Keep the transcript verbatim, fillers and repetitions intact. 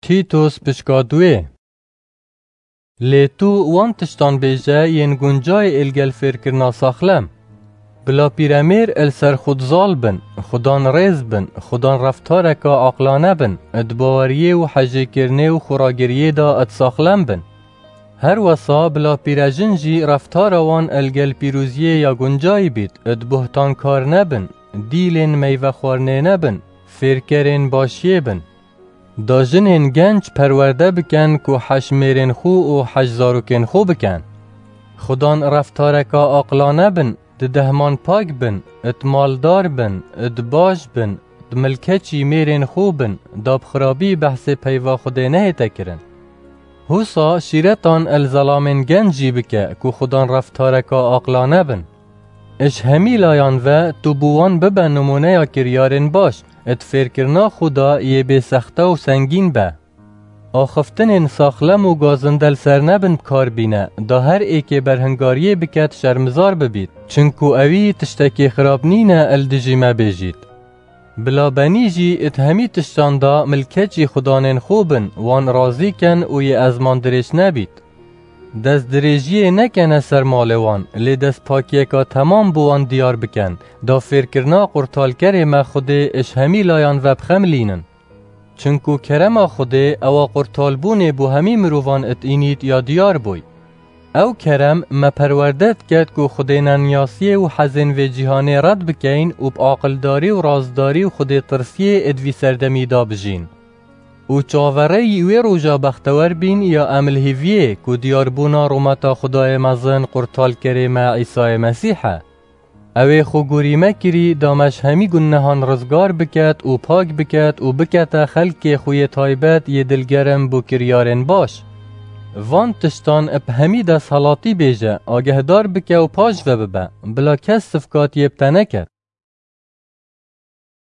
Tîtos pişka duê. Lê tu wan tiştan bêje yên guncayê êlgel fêrkirina saxlem. Bila pîremêr il ser xud zal bin, xudan rêz bin, xudan reftareka aqlane bin, di baweriyê û hejêkirinê û xuragiriyê de di saxlem bin. Her wesa bila pîrejin jî reftara wan ilgel pîroziyê ya guncayî bît, di buhtankar nebin, dîlên meyvexwarinê nebin, fêrkerên başiyê bin. Da jinên genc perwerde biken ku heş mêrên xwe û heş zarokên xwe biken. Xudan reftareka aqlane bin, di dehman pak bin, it maldar bin, it baş bin, di milkeçî mêrên xwe bin, da bi xirabî behsê peyva Xwedê nehête kirin. Husa şîretan el zelamên genc jî bike ku xudan reftareka aqlane bin. Ji hemî layan ve tu bi wan bibe nimûneya kiryarên baş, di fêrkirina xwe de yê bê sexte û sengîn be. Axiftinên saxlem û gazinde li ser nebin bi kar bîne, da her êkê berhingariyê biket şermizar bibît, çinku ewî tiştekê xirab nîne el dijî me bêjît. Bila benî jî it hemî tiştan da milkeçî xudanên xwe bin, wan razî ken û yê ezman dirêj nebît. Destdirêjiyê nekene ser malê wan, lê destpakiyeka temam bi wan diyar biken, da fêrkirina qurtalkerê me Xwedê ji hemî layan ve bixemilînin. Çinku kerema Xwedê ewa qurtalbûnê bo hemî mirovan it înît ya diyar bûy. Ew kerem me perwerde diket ku xwedêneniyasiyê û hezên vê cîhanê red bikeyn û bi aqildarî û rastdarî û xwedêtirsiyê id vî serdemî de bijîn. Û çaverêyî wê roja bextewer bîn ya em li hîviyê ku diyarbûna rûmeta Xwedayê mezin qurtalkerê me Îsayê Mesîh e. Ew ê xwe gorî me kirî da me ji hemî gunehan rizgar biket û pak biket û bikete xelkê xwe yê taybet yê dilgerim bo kiryarên baş. Van tiştan bi hemî desthilatî bêje, agehdar bike û paş ve bibe, bila kes sifkatiyê bi te neket.